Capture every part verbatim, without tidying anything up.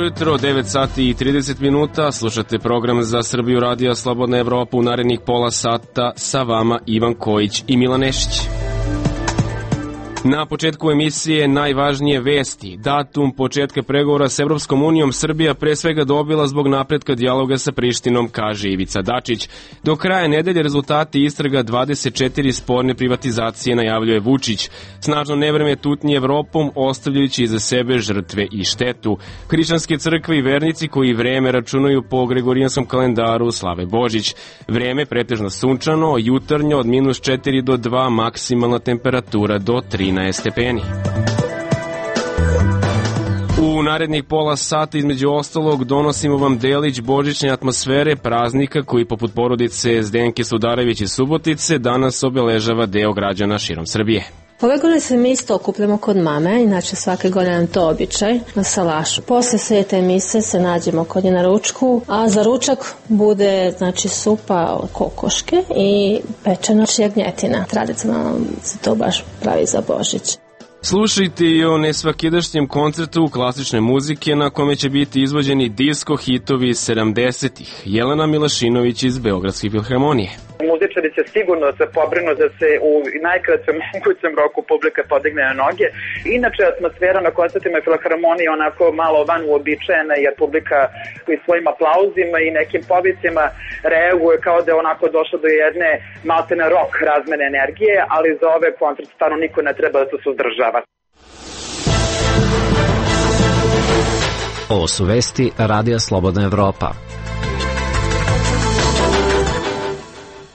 ujutro, devet sati i trideset minuta, slušate program za Srbiju radija Slobodna Evropa. U narednih pola sata sa vama Ivan Kojić i Milan Nešić. Na početku emisije najvažnije vesti. Datum početka pregovora s Evropskom unijom Srbija pre svega dobila zbog napretka dijaloga sa Prištinom, kaže Ivica Dačić. Do kraja nedelje rezultati istraga dvadeset četiri sporne privatizacije, najavljuje Vučić. Snažno nevreme tutnji Evropom, ostavljajući iza sebe žrtve i štetu. Hrišćanske crkve i vernici koji vreme računaju po gregorijanskom kalendaru slave Božić. Vreme pretežno sunčano, jutarnjo od minus četiri do dva, maksimalna temperatura do tri stepeni. U narednih pola sata između ostalog donosimo vam delić božićne atmosfere praznika koji poput porodice Zdenke Sudarević iz Subotice danas obeležava deo građana širom Srbije. Ove godine se mi isto okupljamo kod mame, inače svake godine nam to običaj, na salašu. Posle svete mise se nađemo kod nje na ručku, a za ručak bude znači supa od kokoške i pečena jagnjetina. Tradicionalno se to baš pravi za Božić. Slušajte i o nesvakidašnjem koncertu klasične muzike na kome će biti izvođeni disko hitovi sedamdesetih. Jelena Milašinović iz Beogradske filharmonije. Muzičari će sigurno se pobrinu da se u najkraćem mogućem roku publika podigne na noge. Inače, atmosfera na koncertima filharmonije onako malo van uobičajena, jer publika i svojim aplauzima i nekim povicima reaguje kao da je onako došlo do jedne maltene rock razmene energije, ali za ove koncerte stvarno niko ne treba da se suzdržava. Ovo su vesti Radija Slobodna Evropa.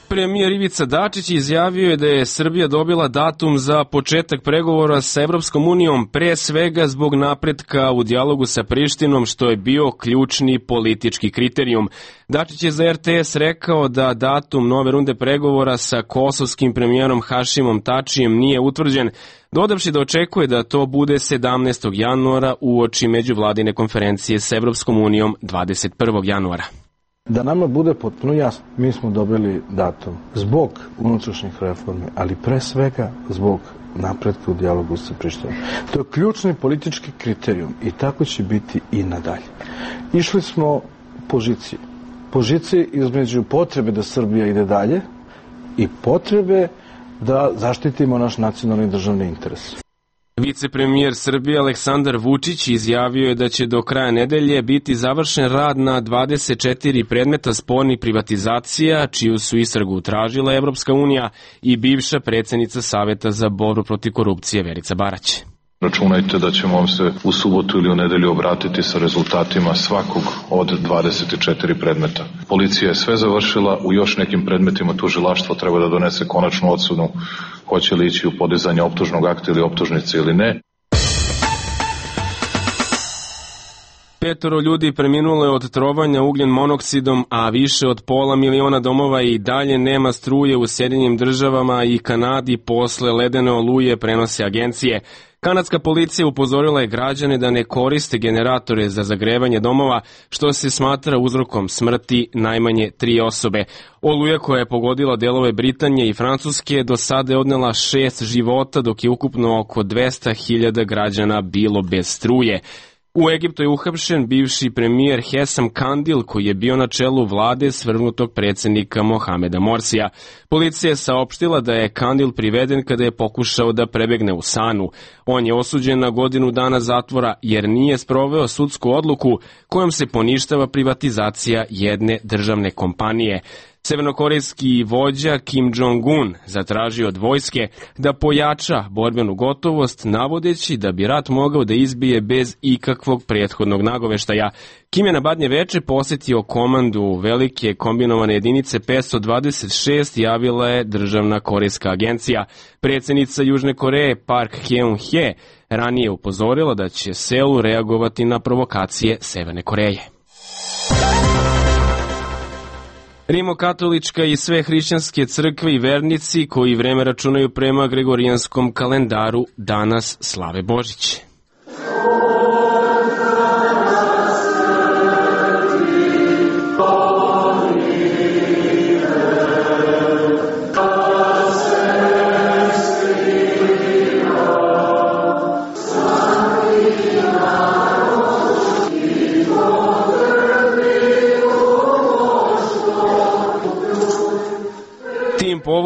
Premijer Ivica Dačić izjavio je da je Srbija dobila datum za početak pregovora sa Evropskom unijom, pre svega zbog napretka u dijalogu sa Prištinom, što je bio ključni politički kriterijum. Dačić je za er te es rekao da datum nove runde pregovora sa kosovskim premijerom Hašimom Tačijem nije utvrđen, dodavši da očekuje da to bude sedamnaestog januara uoči međuvladine konferencije sa Evropskom unijom dvadeset prvog januara. Da nama bude potpuno jasno, mi smo dobili datum zbog unutrašnjih reformi, ali pre svega zbog napretka u dijalogu sa Prištinom. To je ključni politički kriterijum i tako će biti i nadalje. Išli smo po žici. Po žici između potrebe da Srbija ide dalje i potrebe da zaštitimo naš nacionalni državni interes. Vicepremijer Srbije Aleksandar Vučić izjavio je da će do kraja nedelje biti završen rad na dvadeset četiri predmeta spornih privatizacija, čiju su istragu tražila Evropska unija i bivša predsjednica Saveta za borbu protiv korupcije Verica Barać. Računajte da ćemo vam se u subotu ili u nedelju obratiti sa rezultatima svakog od dvadeset četiri predmeta. Policija je sve završila, u još nekim predmetima tužilaštvo treba da donese konačnu odsudu hoće li ići u podizanje optužnog akta ili optužnice ili ne. Petoro ljudi preminulo je od trovanja ugljen monoksidom, a više od pola miliona domova i dalje nema struje u Sjedinjenim državama i Kanadi posle ledene oluje, prenose agencije. Kanadska policija upozorila je građane da ne koriste generatore za zagrevanje domova, što se smatra uzrokom smrti najmanje tri osobe. Oluja koja je pogodila delove Britanije i Francuske do sada je odnela šest života, dok je ukupno oko dvesta hiljada građana bilo bez struje. U Egiptu je uhapšen bivši premijer Hesam Kandil, koji je bio na čelu vlade svrgnutog predsjednika Mohameda Morsija. Policija je saopštila da je Kandil priveden kada je pokušao da prebegne u Sanu. On je osuđen na godinu dana zatvora jer nije sproveo sudsku odluku kojom se poništava privatizacija jedne državne kompanije. Severnokorejski vođa Kim Jong-un zatražio od vojske da pojača borbenu gotovost, navodeći da bi rat mogao da izbije bez ikakvog prethodnog nagoveštaja. Kim je na Badnje veče posjetio komandu velike kombinovane jedinice petsto dvadeset šest, javila je državna korejska agencija. Predsjednica Južne Koreje Park Geun-hye ranije upozorila da će Seul reagovati na provokacije Severne Koreje. Rimokatolička i sve hrišćanske crkve i vernici koji vreme računaju prema gregorijanskom kalendaru danas slave Božić.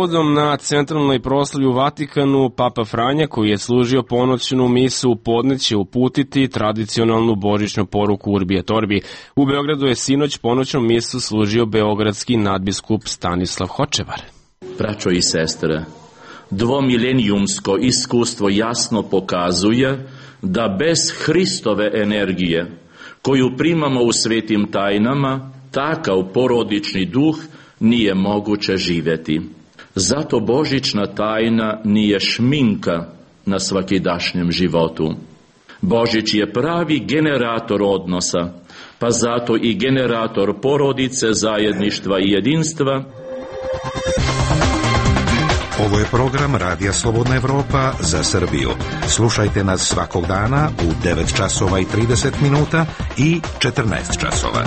povodom na centralnoj proslavi u Vatikanu, Papa Franja, koji je služio ponoćnu misu u podne, će uputiti tradicionalnu božićnu poruku Urbi et Orbi. U Beogradu je sinoć ponoćnu misu služio beogradski nadbiskup Stanislav Hočevar. Braćo i sestre, dvomilenijumsko iskustvo jasno pokazuje da bez Hristove energije, koju primamo u svetim tajnama, takav porodični duh nije moguće živjeti. Zato božićna tajna nije šminka na svakidašnjem životu. Božić je pravi generator odnosa, pa zato i generator porodice, zajedništva i jedinstva. Ovo je program Radija Slobodna Evropa za Srbiju. Slušajte nas svakog dana u devet časova i trideset minuta i četrnaest časova.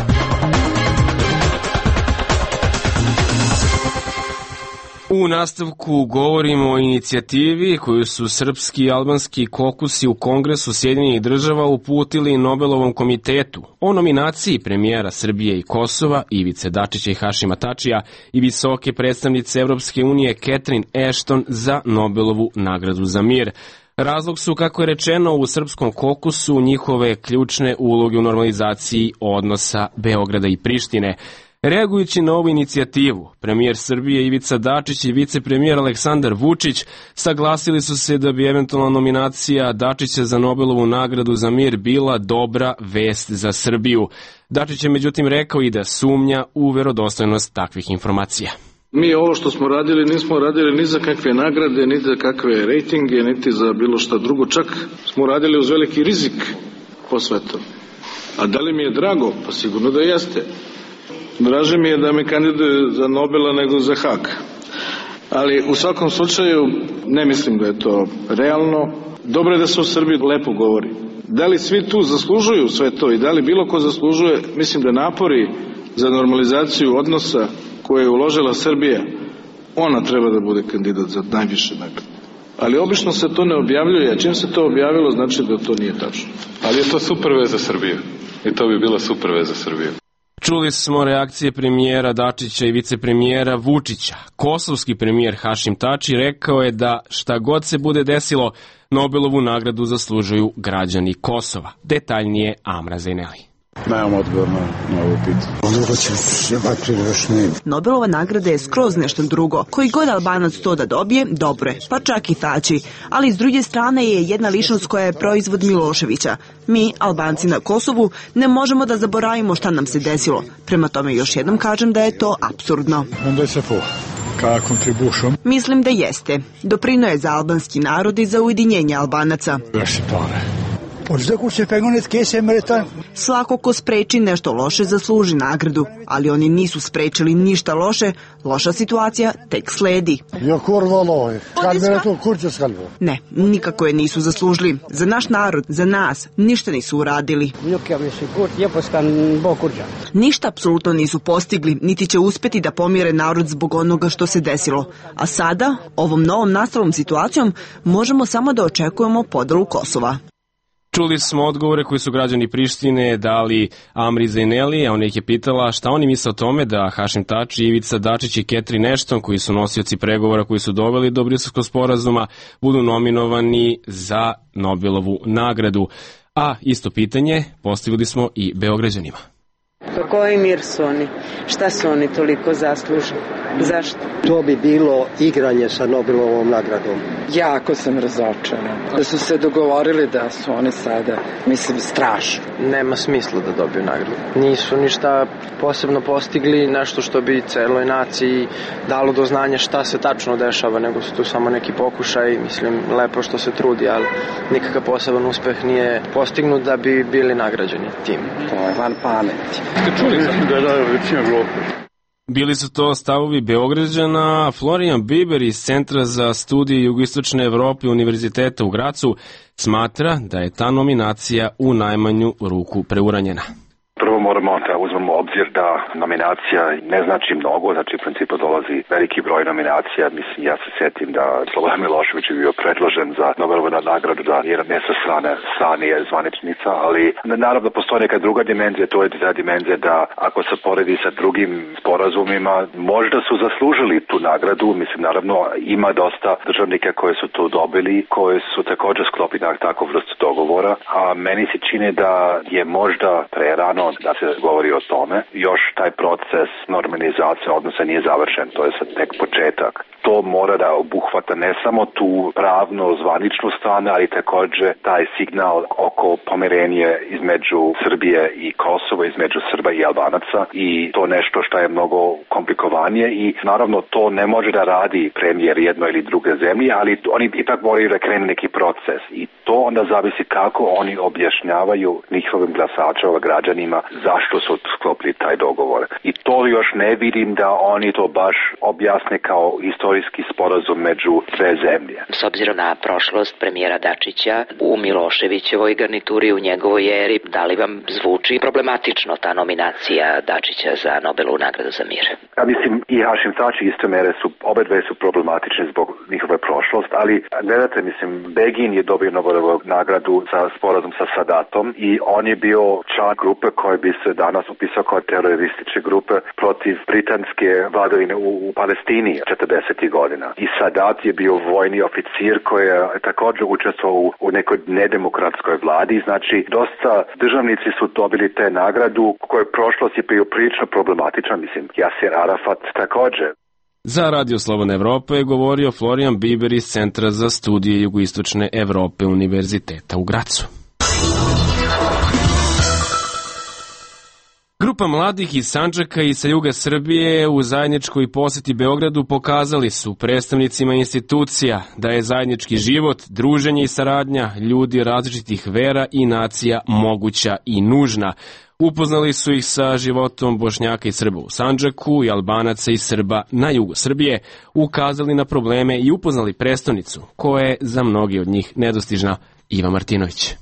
U nastavku govorimo o inicijativi koju su srpski i albanski kokusi u Kongresu Sjedinjenih država uputili Nobelovom komitetu o nominaciji premijera Srbije i Kosova Ivice Dačića i Hašima Tačija i visoke predstavnice Evropske unije Catherine Ashton za Nobelovu nagradu za mir. Razlog su, kako je rečeno u srpskom kokusu, njihove ključne uloge u normalizaciji odnosa Beograda i Prištine. Reagujući na ovu inicijativu, premijer Srbije Ivica Dačić i vicepremijer Aleksandar Vučić saglasili su se da bi eventualna nominacija Dačića za Nobelovu nagradu za mir bila dobra vest za Srbiju. Dačić je međutim rekao i da sumnja u verodostojnost takvih informacija. Mi ovo što smo radili nismo radili ni za kakve nagrade, ni za kakve rejtinge, niti za bilo šta drugo. Čak smo radili uz veliki rizik po svetu. A da li mi je drago? Pa sigurno da jeste. Draže mi je da me kandiduje za Nobela nego za Hag. Ali u svakom slučaju ne mislim da je to realno. Dobro je da se u Srbiji lepo govori. Da li svi tu zaslužuju sve to i da li bilo ko zaslužuje, mislim da napori za normalizaciju odnosa koje je uložila Srbija, ona treba da bude kandidat za najviše nagrade. Ali obično se to ne objavljuje, a čim se to objavilo znači da to nije tačno. Ali je to super vez za Srbiju i to bi bila super vez za Srbiju. Čuli smo reakcije premijera Dačića i vicepremijera Vučića. Kosovski premijer Hašim Tači rekao je da šta god se bude desilo, Nobelovu nagradu zaslužuju građani Kosova. Detaljnije Amra Zaineli. Nemam odgovor na ovo pitanje. Nobelova nagrada je skroz nešto drugo. Koji god Albanac to da dobije, dobro je, pa čak i Tači. Ali s druge strane je jedna ličnost koja je proizvod Miloševića. Mi, Albanci na Kosovu, ne možemo da zaboravimo šta nam se desilo. Prema tome još jednom kažem da je to apsurdno. Mislim da jeste. Doprino je za albanski narod i za ujedinjenje Albanaca. Svako ko spreči nešto loše zasluži nagradu, ali oni nisu sprečili ništa loše, loša situacija tek sledi. Ne, nikako je nisu zaslužili. Za naš narod, za nas, ništa nisu uradili. Ništa apsolutno nisu postigli, niti će uspeti da pomire narod zbog onoga što se desilo. A sada, ovom novom nastalom situacijom, možemo samo da očekujemo podelu Kosova. Čuli smo odgovore koji su građani Prištine dali Amri Zaineli, a ona ih je pitala šta oni misle o tome da Hašim Tači, Ivica Dačić i Catherine Ashton, koji su nosioci pregovora koji su doveli do Briselskog sporazuma, budu nominovani za Nobelovu nagradu. A isto pitanje postavili smo i Beograđanima. Pa koji mir su oni? Šta su oni toliko zaslužili? Zašto? To bi bilo igranje sa Nobelovom nagradom. Jako sam razočarana. Da su se dogovorili da su oni sada, mislim, strašno. Nema smisla da dobiju nagradu. Nisu ništa posebno postigli, nešto što bi celoj naciji dalo do znanja šta se tačno dešava, nego su tu samo neki pokušaj, mislim, lepo što se trudi, ali nikakav poseban uspeh nije postignut da bi bili nagrađeni tim. To je van pameti. Ste čuli sam da je da većina Evrope? Bili su to stavovi Beograđana. Florijan Biber iz Centra za studije jugoistočne Evrope Univerziteta u Gracu smatra da je ta nominacija u najmanju ruku preuranjena. Prvo moramo da uzmemo obzir da nominacija ne znači mnogo, znači u principu dolazi veliki broj nominacija. Mislim, ja se sjetim da Slobodan Milošević je bio predložen za Nobelovu nagradu, da nije ne sa strane strane je zvaničnica, ali naravno postoji neka druga dimenzija, to je ta dimenzija da ako se poredi sa drugim sporazumima, možda su zaslužili tu nagradu. Mislim, naravno ima dosta državnika koji su to dobili, koji su također sklopili na takvu vrstu dogovora, a meni se čini da je možda prerano da se govori o tome. Još taj proces normalizacije odnosa nije završen, to je sad tek početak. To mora da obuhvata ne samo tu pravno zvaničnu stranu, ali također taj signal oko pomirenje između Srbije i Kosova, između Srba i Albanaca, i to nešto što je mnogo komplikovanije i naravno to ne može da radi premijer jedno ili druge zemlje, ali oni ipak moraju da krenu neki proces i to onda zavisi kako oni objašnjavaju njihovim glasačima, građanima zašto su sklopili taj dogovor. I to još ne vidim da oni to baš objasne kao istorijski sporazum među dve zemlje. S obzirom na prošlost premijera Dačića u Miloševićevoj garnituri, u njegovoj eri, da li vam zvuči problematično ta nominacija Dačića za Nobelovu nagradu za mir? Ja mislim i Hašim Tači isto mere su, obe dve su problematične zbog njihove prošlost, ali gledajte, mislim, Begin je dobio Nobelovu nagradu za sporazum sa Sadatom i on je bio član grupe koja bi se danas upisao kao terorističke grupe protiv britanske vladavine u, u Palestini četrdesetih godina. I Sadat je bio vojni oficir koji je također učestvovao u, u nekoj nedemokratskoj vladi. Znači, dosta državnici su dobili te nagradu koja je prošlost je bio prilično problematična, mislim, Jasir Arafat također. Za Radio Slobodna Evropa je govorio Florijan Biber iz Centra za studije jugoistočne Evrope Univerziteta u Gracu. Grupa mladih iz Sandžaka i sa juga Srbije u zajedničkoj poseti Beogradu pokazali su predstavnicima institucija da je zajednički život, druženje i saradnja ljudi različitih vera i nacija moguća i nužna. Upoznali su ih sa životom Bošnjaka i Srba u Sandžaku i Albanaca i Srba na jugu Srbije, ukazali na probleme i upoznali prestonicu koja je za mnogi od njih nedostižna. Iva Martinović.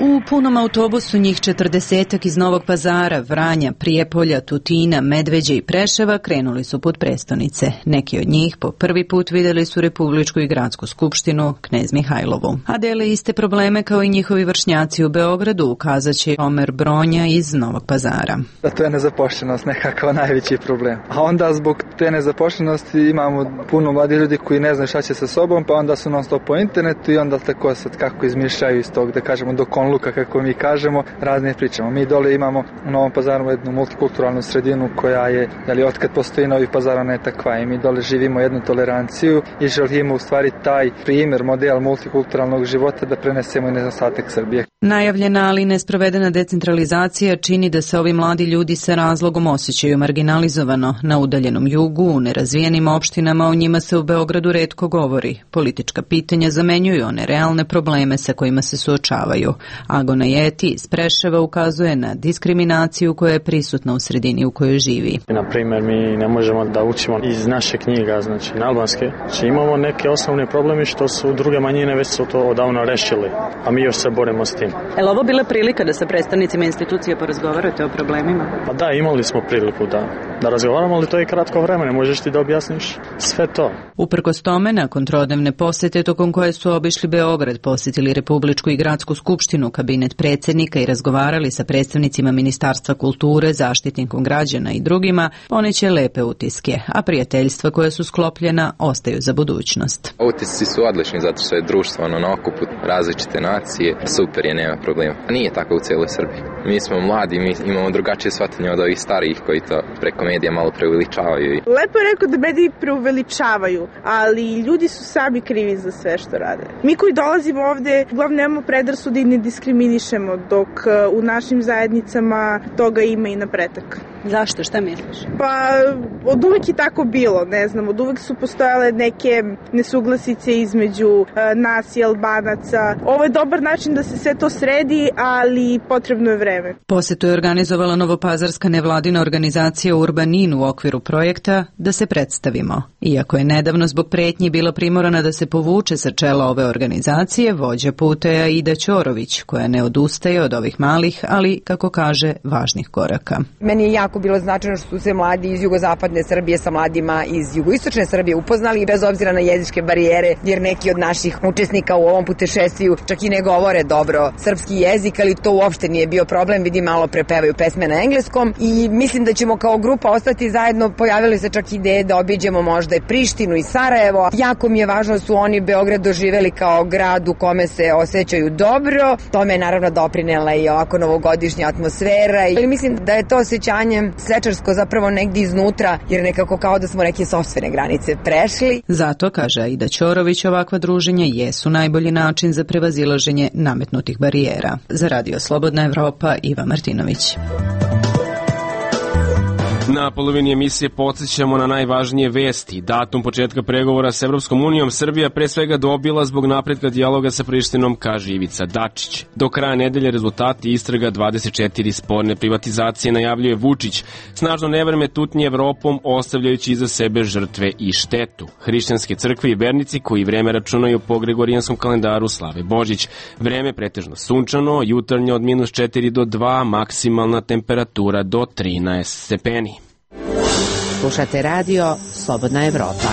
U punom autobusu njih četrdesetak iz Novog Pazara, Vranja, Prijepolja, Tutina, Medveđe i Preševa krenuli su put prestonice. Neki od njih po prvi put vidjeli su Republičku i gradsku skupštinu, Knez Mihajlovu. A dele iste probleme kao i njihovi vršnjaci u Beogradu, ukazat će Omer Bronja iz Novog Pazara. Da, to je nezapošljenost nekakav najveći problem. A onda zbog te nezapošljenosti imamo puno mladih ljudi koji ne znaju šta će sa sobom, pa onda su non stop po internetu i onda tako sad kako izmišljaju iz tog, da kažemo, do Luka, kako mi kažemo, razne pričamo. Mi dole imamo u Novom Pazaru jednu multikulturalnu sredinu koja je, jeli, otkad postoji Novi Pazar, ona je takva i mi dole živimo jednu toleranciju i želimo u stvari taj primjer, model multikulturalnog života da prenesemo i na ostatak Srbije. Najavljena, ali nesprovedena decentralizacija čini da se ovi mladi ljudi sa razlogom osjećaju marginalizovano. Na udaljenom jugu, u nerazvijenim opštinama, o njima se u Beogradu retko govori. Politička pitanja zamenjuju one realne probleme sa kojima se suočavaju. Agona Jeti iz Preševa ukazuje na diskriminaciju koja je prisutna u sredini u kojoj živi. Na primjer, mi ne možemo da učimo iz naše knjiga, znači na albanske. Znači, imamo neke osnovne probleme što su druge manjine već su to odavno rešili, a mi još se borimo s tim. Je li ovo bila prilika da sa predstavnicima institucije porazgovarate o problemima? Pa da, imali smo priliku da, da razgovaramo, ali to je kratko vreme, ne možeš ti da objasniš sve to. Uprkos tome, nakon trodnevne posete tokom koje su obišli Beograd, posjetili Republičku i gradsku skupštinu, kabinet predsjednika i razgovarali sa predstavnicima Ministarstva kulture, Zaštitnikom građana i drugima, poneće lepe utiske, a prijateljstva koja su sklopljena ostaju za budućnost. Utisci su odlični zato što je društvo ono na okupu različite nacije, super je, nema problema. Nije tako u cijeloj Srbiji. Mi smo mladi, mi imamo drugačije shvatanje od ovih starijih koji to preko medija malo preuveličavaju. Lepo je rekao da mediji preuveličavaju, ali ljudi su sami krivi za sve što rade. Mi koji dolazimo ovde, uglavnom nemamo predrasude i ne diskriminišemo, dok u našim zajednicama toga ima i na pretek. Zašto? Šta misliš? Pa od uvek je tako bilo, ne znam, od uvek su postojale neke nesuglasice između nas i Albanaca. Ovo je dobar način da se sve to sredi, ali potrebno je vreme. Posetu je organizovala novopazarska nevladina organizacija Urbanin u okviru projekta Da se predstavimo. Iako je nedavno zbog pretnji bila primorana da se povuče sa čela ove organizacije, vođa puta je Aida Ćorović, koja ne odustaje od ovih malih, ali, kako kaže, važnih koraka. Meni je jako bilo značajno što su se mladi iz jugozapadne Srbije sa mladima iz jugoistočne Srbije upoznali, bez obzira na jezičke barijere, jer neki od naših učesnika u ovom putešestviju čak i ne govore dobro srpski jezik, ali to uopšte nije bio problem, vidim malo prepevaju pesme na engleskom i mislim da ćemo kao grupa ostati zajedno. Pojavili se čak ideje da obiđemo možda i Prištinu i Sarajevo. Jako mi je važno da su oni Beograd doživeli kao grad u kome se osjećaju dobro. Tome je naravno doprinela i ovako novogodišnja atmosfera, ali mislim da je to osjećanje svečarsko zapravo negdje iznutra, jer nekako kao da smo neke sopstvene granice prešli. Zato, kaže Aida Ćorović, ovakva druženja jesu najbolji način za prevazilaženje nametnutih barijera. Za Radio Slobodna Evropa, Iva Martinović. Na polovini emisije podsjećamo na najvažnije vesti. Datum početka pregovora s Evropskom unijom Srbija pre svega dobila zbog napretka dijaloga sa Prištinom, kaže Ivica Dačić. Do kraja nedelje rezultati istraga dvadeset četiri sporne privatizacije najavljuje Vučić. Snažno nevreme tutnje Evropom, ostavljajući iza sebe žrtve i štetu. Hrišćanske crkve i vernici koji vreme računaju po gregorijanskom kalendaru slave Božić. Vreme pretežno sunčano, jutarnje od minus četiri do dva, maksimalna temperatura do trinaest stepeni. Slušate radio Slobodna Evropa.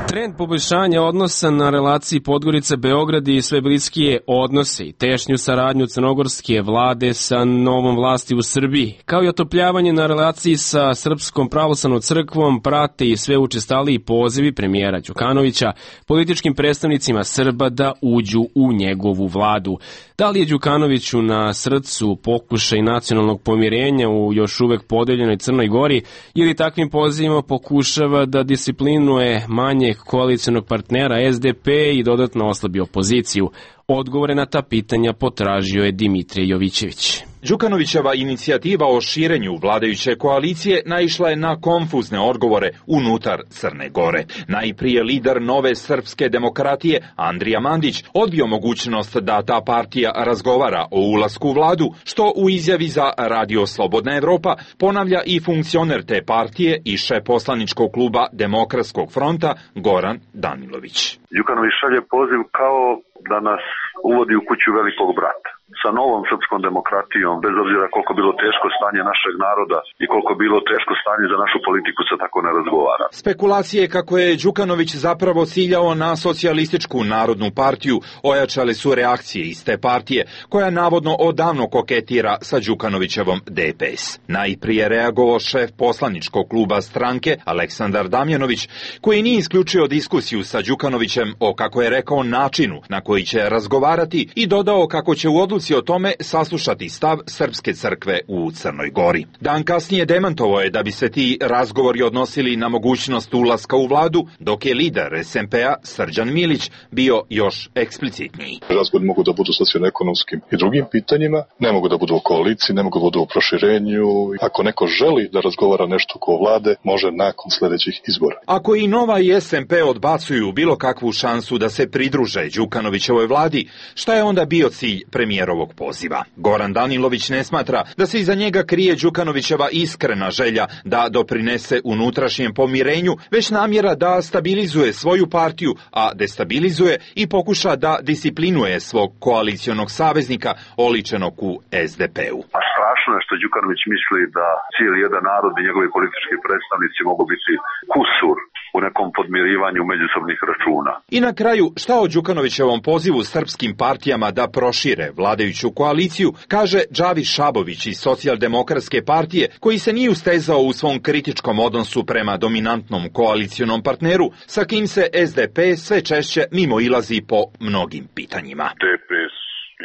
Trend poboljšanja odnosa na relaciji Podgorica-Beograd i sve bliskije odnose i tešnju saradnju crnogorske vlade sa novom vlasti u Srbiji, kao i otopljavanje na relaciji sa Srpskom pravoslavnom crkvom, prate i sve učestaliji pozivi premijera Đukanovića političkim predstavnicima Srba da uđu u njegovu vladu. Da li je Đukanoviću na srcu pokušaj nacionalnog pomirenja u još uvek podeljenoj Crnoj Gori ili takvim pozivima pokušava da disciplinuje manjeg koalicionog partnera S D P i dodatno oslabi opoziciju? Odgovore na ta pitanja potražio je Dimitrije Jovićević. Đukanovićeva inicijativa o širenju vladajuće koalicije naišla je na konfuzne odgovore unutar Crne Gore. Najprije lider Nove srpske demokratije Andrija Mandić odbio mogućnost da ta partija razgovara o ulasku u vladu, što u izjavi za Radio Slobodna Evropa ponavlja i funkcioner te partije i šef poslaničkog kluba Demokratskog fronta Goran Danilović. Đukanović šalje poziv kao da nas uvodi u kuću velikog brata. Sa novom srpskom demokratijom, bez obzira koliko bilo teško stanje našeg naroda i koliko bilo teško stanje za našu politiku, se tako ne razgovara. Spekulacije kako je Đukanović zapravo ciljao na socijalističku narodnu partiju ojačale su reakcije iz te partije, koja navodno odavno koketira sa Đukanovićevom D P S. Najprije reagovao šef poslaničkog kluba stranke Aleksandar Damjanović, koji nije isključio diskusiju sa Đukanovićem o, kako je rekao, načinu na koji će razgovarati i dodao kako će u odluci o tome saslušati stav Srpske crkve u Crnoj Gori. Dan kasnije demantovao je da bi se ti razgovori odnosili na mogućnost ulaska u vladu, dok je lider S M P-a Srđan Milić bio još eksplicitniji. Razgovori mogu da budu socijalno-ekonomskim i drugim pitanjima, ne mogu da budu o koaliciji, ne mogu da budu o proširenju. Ako neko želi da razgovara nešto oko vlade, može nakon sledećih izbora. Ako i Nova i S M P odbacuju bilo kakvu šansu da se pridruže Đukanovićevoj vladi, šta je onda bio cilj premijerovog poziva? Goran Danilović ne smatra da se iza njega krije Đukanovićeva iskrena želja da doprinese unutrašnjem pomirenju, već namjera da stabilizuje svoju partiju, a destabilizuje i pokuša da disciplinuje svog koalicionog saveznika oličenog u S D P-u. A strašno je što Đukanović misli da cijeli jedan narod i njegovi politički predstavnici mogu biti kusur u nekom podmirivanju međusobnih računa. I na kraju, šta o Đukanovićevom pozivu srpskim partijama da prošire vladajuću koaliciju, kaže Džavi Šabović iz Socijaldemokratske partije, koji se nije ustezao u svom kritičkom odnosu prema dominantnom koalicionom partneru, sa kim se S D P sve češće mimo ilazi po mnogim pitanjima. D P S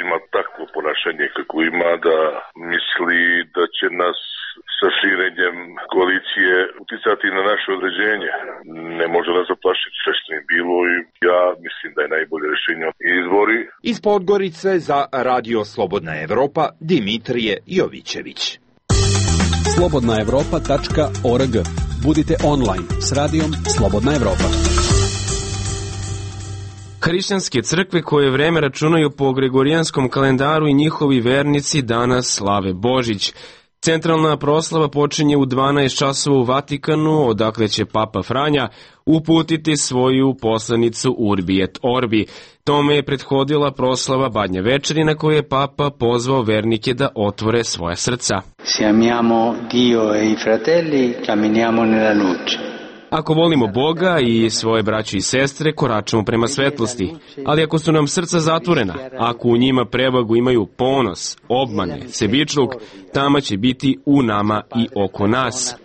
ima takvo ponašanje kako ima, da misli da će nas sa širenjem koalicije uticati na naše određenje. Ne može nas zaplašiti sve što je bilo i ja mislim da je najbolje rješenje izbori. Iz Podgorice za Radio Slobodna Evropa, Dimitrije Jovićević. slobodna evropa tačka org. Budite online s radijom Slobodna Evropa. Hrišćanske crkve koje vreme računaju po gregorijanskom kalendaru i njihovi vernici danas slave Božić. Centralna proslava počinje u dvanaest časova u Vatikanu, odakle će Papa Franja uputiti svoju poslanicu Urbi et Orbi. Tome je prethodila proslava Badnje večeri na kojoj je Papa pozvao vernike da otvore svoja srca. Se amiamo Dio e i fratelli, camminiamo nella luce. Ako volimo Boga i svoje braće i sestre, koračamo prema svetlosti. Ali ako su nam srca zatvorena, ako u njima prevagu imaju ponos, obmane, sebičluk, tama će biti u nama i oko nas.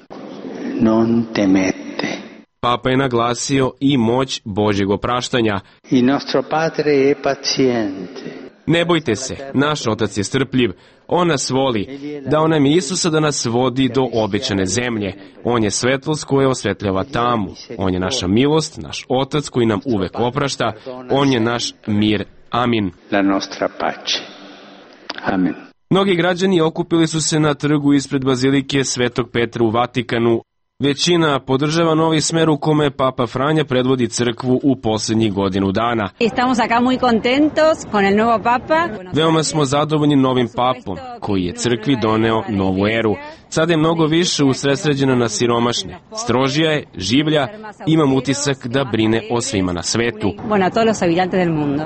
Non temete. Papa je naglasio i moć Božjeg opraštanja. Il nostro Padre è paziente. Ne bojte se, naš Otac je strpljiv, On nas voli, dao nam je Isusa da nas vodi do obećane zemlje. On je svetlost koja osvetljava tamu, On je naša milost, naš Otac koji nam uvek oprašta, On je naš mir. Amin. La nostra pace. Amin. Mnogi građani okupili su se na trgu ispred Bazilike Svetog Petra u Vatikanu. Većina podržava novi smer u kome Papa Franja predvodi crkvu u posljednjih godinu dana. Estamos acá muy contentos con el nuevo papa. Veoma smo zadovoljni novim papom, koji je crkvi doneo novu eru. Sada je mnogo više usredsređena na siromašne. Strožija je, življa, imam utisak da brine o svima na svetu. Bueno, a todos los habitantes del mundo.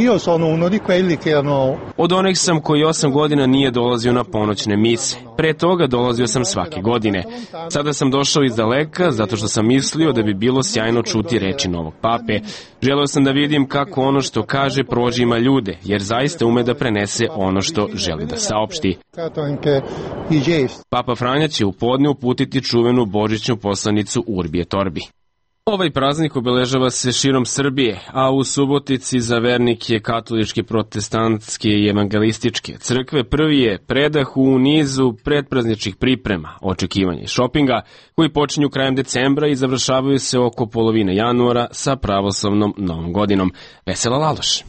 Io sono uno di quelli che hanno... Od onih sam koji osam godina nije dolazio na ponoćne mise. Pre toga dolazio sam svake godine. Sada sam došao iz daleka zato što sam mislio da bi bilo sjajno čuti reči novog pape. Želeo sam da vidim kako ono što kaže prožima ljude, jer zaista ume da prenese ono što želi da saopšti. Papa Franja će u podne uputiti čuvenu božićnu poslanicu Urbi et Orbi. Ovaj praznik obeležava se širom Srbije, a u Subotici za vernike katoličke, protestantske i evangelističke crkve prvi je predah u nizu predprazničnih priprema, očekivanja i šopinga, koji počinju krajem decembra i završavaju se oko polovine januara sa pravoslavnom novom godinom. Vesela Laloš.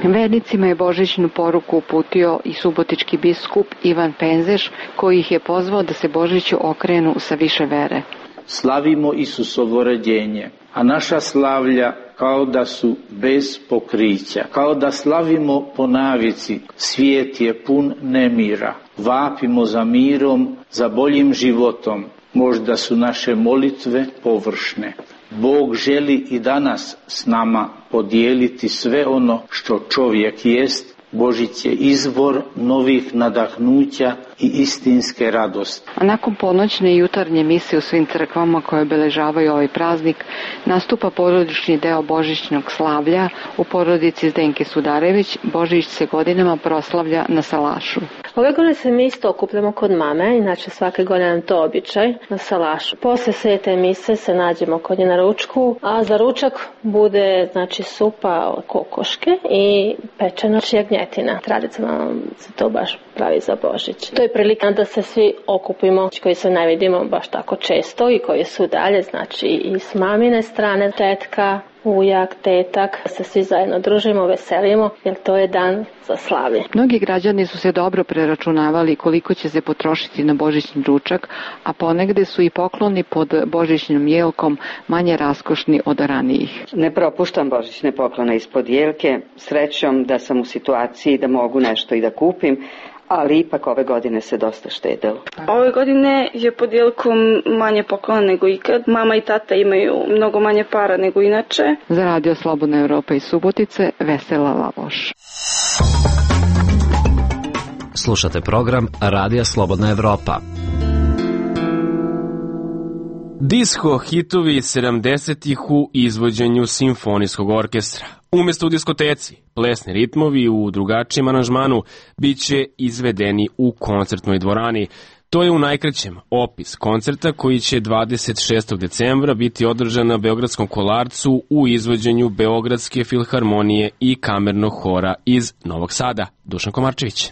Vernicima je božićnu poruku uputio i subotički biskup Ivan Penzeš, koji ih je pozvao da se Božiću okrenu sa više vere. Slavimo Isusovo rođenje, a naša slavlja kao da su bez pokrića, kao da slavimo po navici, svijet je pun nemira. Vapimo za mirom, za boljim životom, možda su naše molitve površne. Bog želi i danas s nama podijeliti sve ono što čovjek jest. Božić je izvor novih nadahnuća i istinske radosti. A nakon ponoćne i jutarnje mise u svim crkvama koje obeležavaju ovaj praznik, nastupa porodični deo božićnog slavlja. U porodici Zdenke Sudarević Božić se godinama proslavlja na salašu. Ove godine se mi isto okupljamo kod mame, inače svake godine nam to običaj, na salašu. Posle svete mise se nađemo kod nje na ručku, a za ručak bude znači supa od kokoške i pečena jagnjetina. Tradicionalno se to baš pravi za Božić. To je prilika da se svi okupimo, koji se ne vidimo baš tako često i koji su dalje, znači i s mamine strane, tetka, ujak, tetak, se svi zajedno družimo, veselimo, jer to je dan za slavlje. Mnogi građani su se dobro preračunavali koliko će se potrošiti na božićni ručak, a ponegde su i pokloni pod božićnom jelkom manje raskošni od ranijih. Ne propuštam božićne poklone ispod jelke, srećom da sam u situaciji da mogu nešto i da kupim, ali ipak ove godine se dosta štedelo. Ove godine je pod jelkom manje poklona nego ikad. Mama i tata imaju mnogo manje para nego inače. Za Radio Slobodna Evropa iz Subotice, Vesela Lavoš. Slušate program Radija Slobodna Evropa. Disko hitovi sedamdesetih u izvođenju simfonijskog orkestra. Umesto u diskoteci, plesni ritmovi u drugačijem aranžmanu bit će izvedeni u koncertnoj dvorani. To je u najkraćem opis koncerta koji će dvadeset šestog decembra biti održan na Beogradskom Kolarcu u izvođenju Beogradske filharmonije i kamernog hora iz Novog Sada. Dušan Komarčević.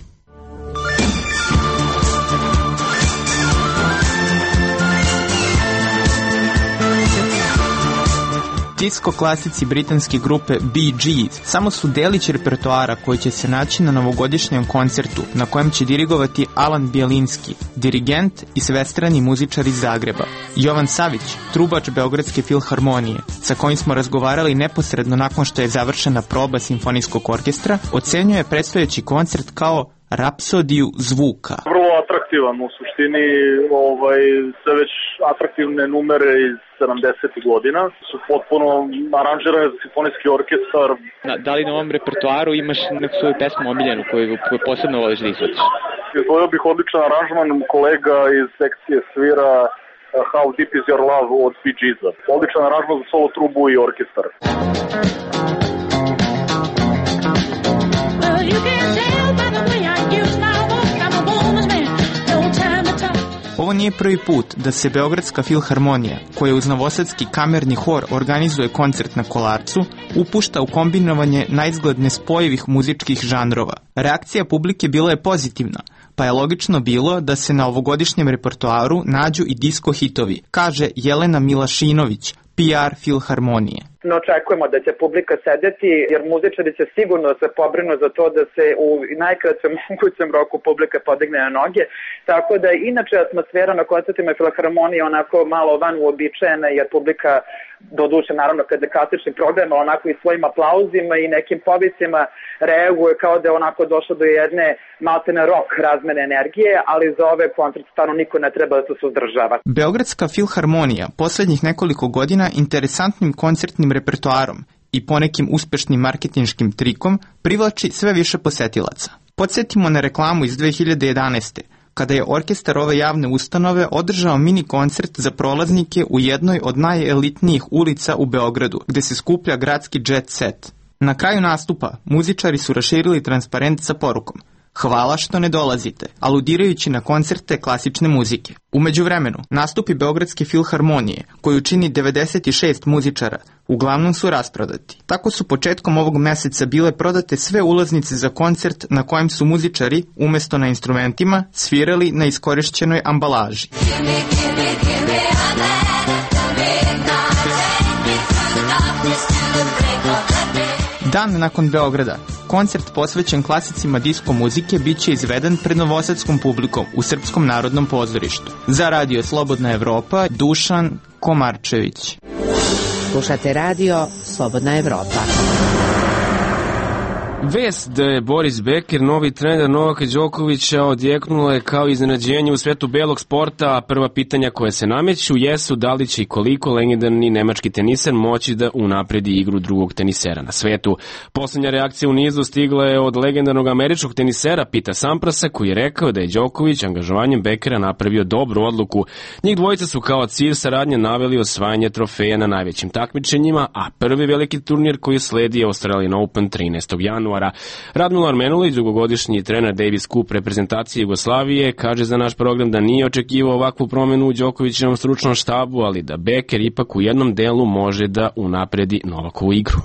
Disko klasici britanske grupe Bee Gees samo su delić repertoara koji će se naći na novogodišnjem koncertu na kojem će dirigovati Alan Bjelinski, dirigent i svestrani muzičar iz Zagreba. Jovan Savić, trubač Beogradske filharmonije, sa kojim smo razgovarali neposredno nakon što je završena proba simfonijskog orkestra, ocenjuje predstojeći koncert kao rapsodiju zvuka. Vrlo atraktivan, u suštini ovaj, sve već atraktivne numere iz sedamdesetih godina su potpuno aranžirane za simfonijski orkestar. Da, da li na ovom repertoaru imaš neku svoju pesmu omiljenu koju, koju posebno voliš da izvodiš? Izvojio bih odličan aranžman kolega iz sekcije svira How Deep Is Your Love od Bee Geesa. Odličan aranžman za solo trubu i orkestar. Well, you can tell by the way I use my walk, I'm a woman's man, no time to talk. Ovo nije prvi put da se Beogradska filharmonija, koja uz novosadski kamerni hor organizuje koncert na Kolarcu, upušta u kombinovanje naizgled nespojivih muzičkih žanrova. Reakcija publike bila je pozitivna, pa je logično bilo da se na ovogodišnjem repertoaru nađu i disko hitovi, kaže Jelena Milašinović, P R filharmonije. Ne očekujemo da će publika sedeti, jer muzičari će sigurno se pobrinu za to da se u najkraćem mogućem roku publika podigne na noge. Tako da inače atmosfera na koncertima filharmonije onako malo van uobičajena, jer publika doduše naravno kada je klasični program, onako i svojim aplauzima i nekim povicima reaguje kao da je onako došlo do jedne maltene rock razmene energije, ali za ove koncerte stvarno niko ne treba da se suzdržava. Beogradska filharmonija poslednjih nekoliko godina interesantnim koncertnim repertoarom i ponekim uspešnim marketinškim trikom privlači sve više posetilaca. Podsjetimo na reklamu iz dve hiljade jedanaeste. kada je orkestar ove javne ustanove održao mini koncert za prolaznike u jednoj od najelitnijih ulica u Beogradu, gde se skuplja gradski jet set. Na kraju nastupa muzičari su raširili transparent sa porukom: "Hvala što ne dolazite", aludirajući na koncerte klasične muzike. U međuvremenu, nastupi Beogradske filharmonije, koju čini devedeset šest muzičara, uglavnom su rasprodati. Tako su početkom ovog meseca bile prodate sve ulaznice za koncert na kojem su muzičari, umesto na instrumentima, svirali na iskorišćenoj ambalaži. Dan nakon Beograda, koncert posvećen klasicima disko muzike biće izveden pred novosadskom publikom u Srpskom narodnom pozorištu. Za Radio Slobodna Evropa, Dušan Komarčević. Slušate Radio Slobodna Evropa. Vest da je Boris Becker, novi trener Novaka Đokovića, odjeknula je kao iznenađenje u svetu belog sporta, a prva pitanja koje se nameću jesu da li će i koliko legendarni nemački teniser moći da unapredi igru drugog tenisera na svetu. Poslednja reakcija u nizu stigla je od legendarnog američkog tenisera Pita Samprasa, koji je rekao da je Đoković angažovanjem Beckera napravio dobru odluku. Njih dvojica su kao cilj saradnje naveli osvajanje trofeja na najvećim takmičenjima, a prvi veliki turnir koji sledi je Australian Open trinaestog januara. Radmilo Armenulić, dugogodišnji trener Davis Cup reprezentacije Jugoslavije, kaže za naš program da nije očekivao ovakvu promenu u Đokovićevom stručnom štabu, ali da Becker ipak u jednom delu može da unapredi Novakovu igru.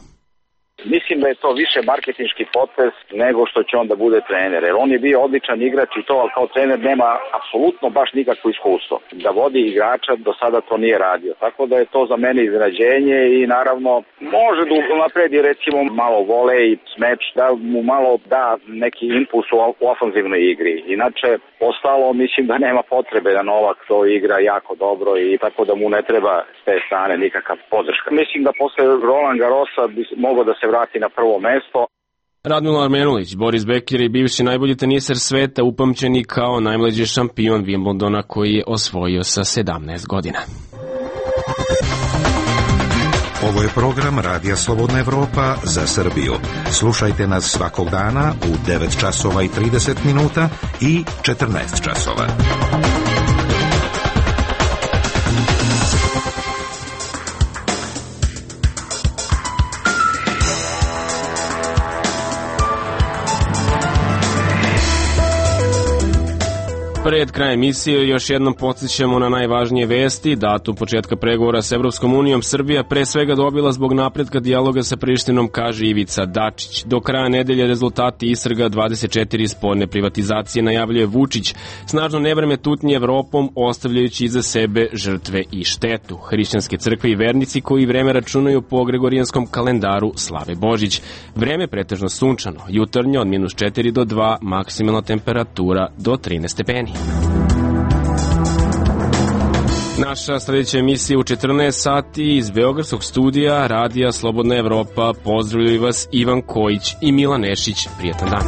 Mislim da je to više marketinški potez nego što će on da bude trener, jer on je bio odličan igrač i to, ali kao trener nema apsolutno baš nikakvo iskustvo. Da vodi igrača, do sada to nije radio, tako da je to za mene iznenađenje i naravno može da napredi recimo malo volej, smeč, da mu malo da neki impuls u ofanzivnoj igri. Inače, ostalo mislim da nema potrebe da Novak to igra jako dobro i tako da mu ne treba s te strane nikakav podrška. Mislim da posle Roland Garrosa bi mogao da se vrati na prvo mesto. Radmilo Armenulić, Boris Becker je bivši najbolji teniser sveta, upamćeni kao najmlađi šampion Wimbledona koji je osvojio sa sedamnaest godina. Ovo je program Radija Slobodna Evropa za Srbiju. Slušajte nas svakog dana u devet časova i trideset minuta i četrnaest časova. Pred krajem emisije još jednom podsjećamo na najvažnije vesti. Datum početka pregovora s Evropskom unijom Srbija pre svega dobila zbog napretka dijaloga sa Prištinom, kaže Ivica Dačić. Do kraja nedelje rezultati istraga dvadeset četiri sporne privatizacije najavljuje Vučić. Snažno nevreme tutnji Evropom, ostavljajući iza sebe žrtve i štetu. Hrišćanske crkve i vernici koji vreme računaju po gregorijanskom kalendaru slave Božić. Vreme pretežno sunčano, jutarnje od minus četiri do dva, maksimalna temperatura do trinaest stepeni. Naša sljedeća emisija u četrnaest sati iz Beogradskog studija Radija Slobodna Evropa. Pozdravljaju vas Ivan Kojić i Milan Nešić. Prijetan dan.